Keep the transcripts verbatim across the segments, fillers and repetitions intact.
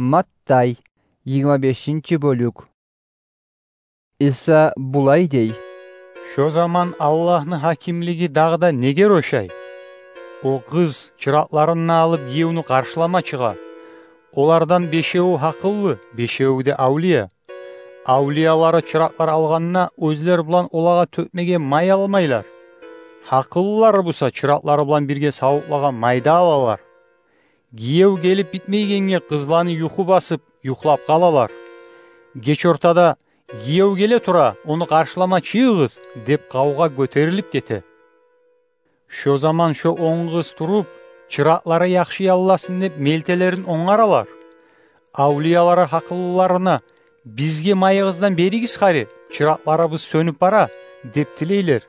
Маттай, йигирма бешинчи бёлюк. Иса булай дей: «Шо заман Аллагьны гьакимлиги дагъы да неге рошай? О къыз чыракъларын алып, гиевню къаршылама чыгъа. Олардан бешеви гьакъыллы, бешеви де авлия. Авлиялары чыракълар алгъанда, оьзлер булан олагъа тёкмеге май алмайлар. Гьакъыллылары буса чыракълары булан бирге савутлагъа май да алалар. Гиев гелип битмейгенге къызланы юху басып, юхлап къалалар. Геч ортада: „Гиев геле тура, ону къаршылама чыгъыгъыз“, – деп къавгъа гётерилип гете. Шо заман шо он къыз туруп, чыракълары яхшы ялласын деп, мелтелерин онгаралар. Авлиялары гьакъыллыларына: „Бизге майыгъыздан беригиз хари, чыракъларыбыз сёнюп бара“, – деп тилейлер.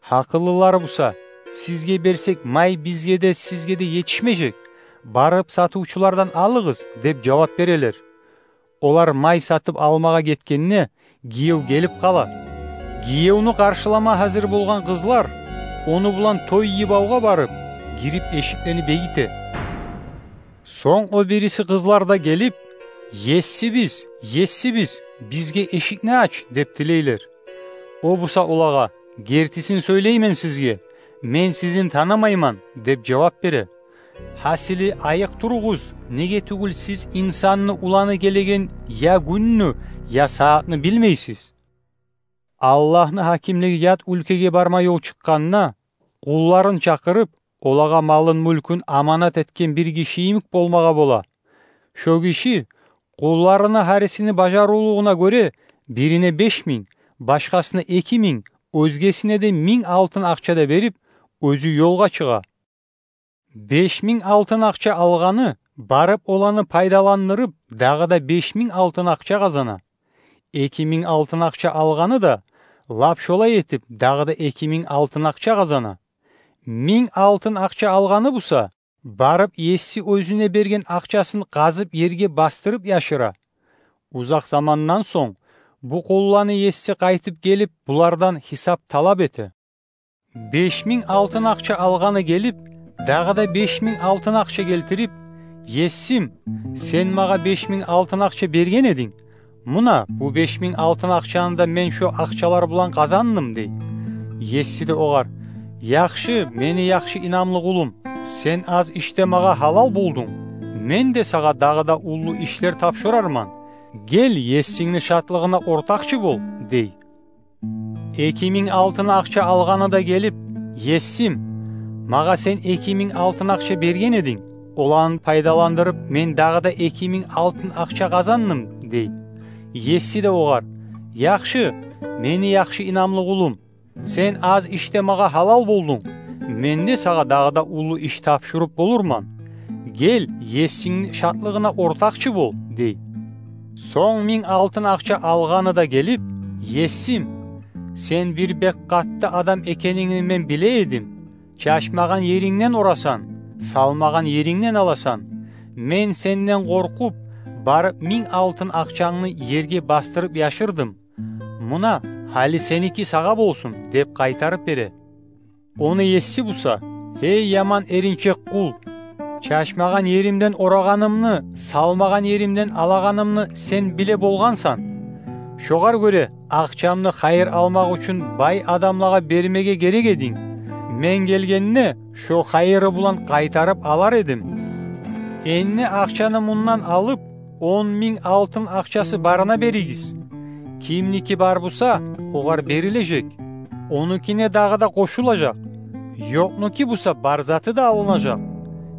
Гьакъыллылары буса: „Сизге берсек, май бизге де, сизге де етишмежек. Барып сатывчулардан алыгъыз“, – деп жавап берелер. Олар май сатып алмагъа гетгенде, гиев гелип къала. Гиевню къаршылама гьазир болгъан къызлар ону булан той йыбавгъа барып, гирип эшиклени бегите. Сонг о бириси къызлар да гелип: „Есибиз, есибиз, бизге эшикни ач“, – деп тилейлер. О буса олагъа: „Гертисин сёйлеймен сизге, мен сизин танымайман“, – деп жавап бере. Гьасили, айыкъ туругъуз, неге тюгюл сиз Инсанны Уланы гелеген я гюнню, я сагьатны билмейсиз. Аллагьны гьакимлиги ят уьлкеге барма ёл чыкъгъанда, къулларын чакъырып, олагъа малын-мюлкюн аманат этген бир гиши йимик болмагъа бола. Шо гиши къулларыны гьарисини бажарывлугъуна гёре, бирине беш минг, башгъасына эки минг, оьзгесине де минг алтын акъча да берип, оьзю ёлгъа чыгъа. Беш минг алтын акъча алгъаны барып, оланы пайдаландырып, дагъы да беш минг алтын акъча къазана. Эки минг алтын акъча алгъаны да, лап шолай этип, дагъы да эки минг алтын акъча къазана. Минг алтын акъча алгъаны буса, барып, еси оьзюне берген акъчасын къазып, ерге бастырып яшыра. Узакъ замандан сонг бу къулланы еси къайтып гелип, булардан гьисап талап эте. Беш минг алтын акъча алгъаны гелип, дагъы да беш минг алтын акъча гелтирип: „Есим, сен магъа беш минг алтын акъча берген эдинг. Муна, бу беш минг алтын акъчаны да мен шо акъчалар булан къазандым“, – дей. Еси де огъар: „Яхшы, мени яхшы инамлы къулум, сен аз ишде магъа гьалал болдунг. Мен де сагъа дагъы да уллу ишлер тапшурарман. Гел, есингни шатлыгъына ортакъчы бол“, – дей. Эки минг алтын акъча алгъаны да гелип: „Есим, магъа сен эки минг алтын акъча берген эдинг. Оланы пайдаландырып, мен дагъы да эки минг алтын акъча къазандым“, – дей. Еси де огъар: „Яхшы, мени яхшы инамлы къулум, сен аз ишде магъа гьалал болдунг. Мен де сагъа дагъы да уллу иш тапшуруп болурман. Гел, есингни шатлыгъына ортакъчы бол“, – дей. Сонг минг алтын акъча алгъаны да гелип: „Есим, сен бир бек къатты адам экенингни мен биле эдим. Чачмагъан ерингден орасан, салмагъан ерингден аласан. Мен сенден къоркъуп, барып, минг алтын акъчангны ерге бастырып яшырдым. Муна, гьали сеники сагъа болсун“, – деп къайтарып бере. Ону еси буса: „Гьей, яман эринчек къул! Чачмагъан еримден орагъанымны, салмагъан еримден алагъанымны сен биле болгъансан. Шогъар гёре акъчамны хайыр алмакъ учун бай адамлагъа бермеге герек эдинг. Мен гелгенде, шо хайыры булан къайтарып алар эдим. Энни акъчаны мундан алып, он минг алтын акъчасы барына беригиз. Кимники бар буса, огъар берилежек, онукине дагъы да къошулажакъ. Ёкънуки буса, бар заты да алынажакъ.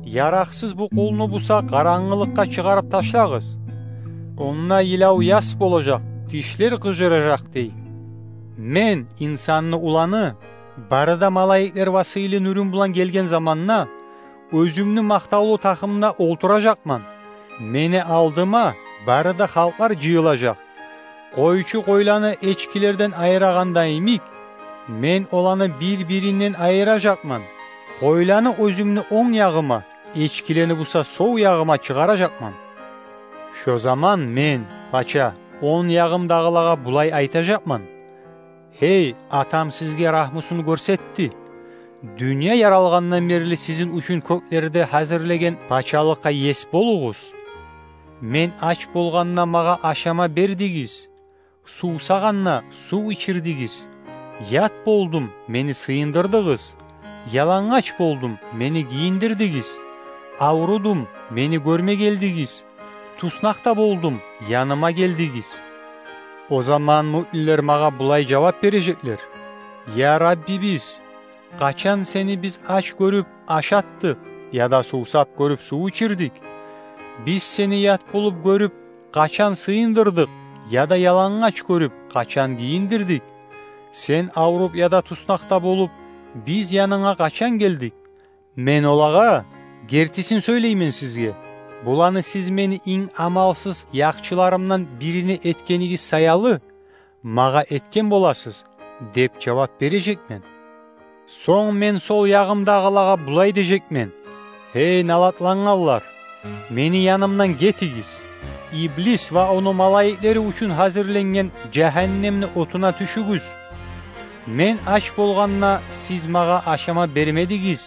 Яракъсыз бу къулну буса къарангылыкъгъа чыгъарып ташлагъыз. Онда йылав-яс болажакъ, тишлер къыжыражакъ“, – дей. Мен, Инсанны Уланы, бары да малайиклер ва сыйлы нюрюм булан гелген заманда, оьзюмню макътавлу тахтымда олтуражакъман. Мени алдыма бары да халкълар жыйылажакъ. Къойчу къойланы эчкилерден айырагъанда йимик, мен оланы бир-биринден айыражакъман. Къойланы оьзюмню онг ягъыма, эчкилени буса сол ягъыма чыгъаражакъман. Шо заман мен, пача, онг ягъымдагъылагъа булай айтажакъман: „Гьей, Атам сизге рагьмусун гёрсетди. Дюнья яралгъандан берли сизин учун кёклерде гьазирлеген пачалыкъгъа ес болугъуз. Мен ач болгъанда, магъа ашама бердигиз, сувсагъанда, сув ичирдигиз. Ят болдум, мени сыйындырдыгъыз, ялангач болдум, мени гийиндирдигиз. Аврудум, мени гёрме гелдигиз, туснакъда болдум, яныма гелдигиз». О заман муъминлер магъа булай жавап бережеклер: «Я Раббибиз, къачан сени биз ач гёрюп, ашатдыкъ, яда сувсап гёрюп, сув ичирдик? Биз сени ят болуп гёрюп, къачан сыйындырдыкъ, яда ялангач гёрюп, къачан гийиндирдик? Сен авруп яда туснакъда болуп, биз янынга къачан гелдик?» Мен олагъа: «Гертисин сёйлеймен сизге, буланы сиз мени инг амалсыз яхчыларымдан бирине этгенигиз саялы, магъа этген боласыз», — деп жавап бережекмен. Сонг мен сол ягъымдагъылагъа булай дежекмен: «Гьей, налатлангъанлар, мени янымдан гетигиз. Иблис ва ону малайиклери учун гьазирленген жагьаннемни отуна тюшюгюз. Мен ач болгъанда, сиз магъа ашама бермедигиз,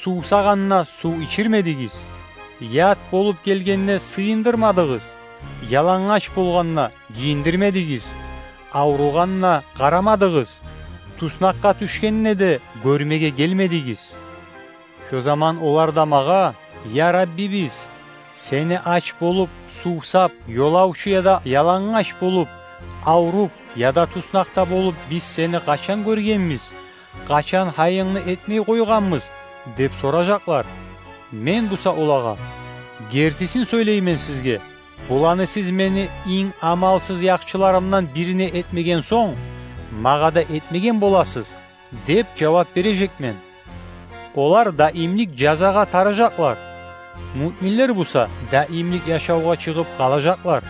сувсагъанда, сув ичирмедигиз, ят болуп гелгенде, сыйындырмадыгъыз, ялангач болгъанда, гийиндирмедигиз, авругъанда, къарамадыгъыз, туснакъгъа тюшгенде де, гёрмеге гелмедигиз». Шо заман олар да магъа: «Я Раббибиз, сени ач болуп, сувсап, ёлавчу яда ялангач болуп, авруп яда туснакъда болуп, биз сени къачан гёргенбиз? Къачан гьайынгны этмей къойгъанбыз?» — деп соражакълар. Мен буса олагъа: «Гертисин сёйлеймен сизге, буланы сиз мени инг амалсыз яхчыларымдан бирине этмеген сонг, магъа да этмеген боласыз», — деп жавап бережекмен. Олар даимлик жазагъа тарыжакълар, муъминлер буса даимлик яшавгъа чыгъып къалажакълар.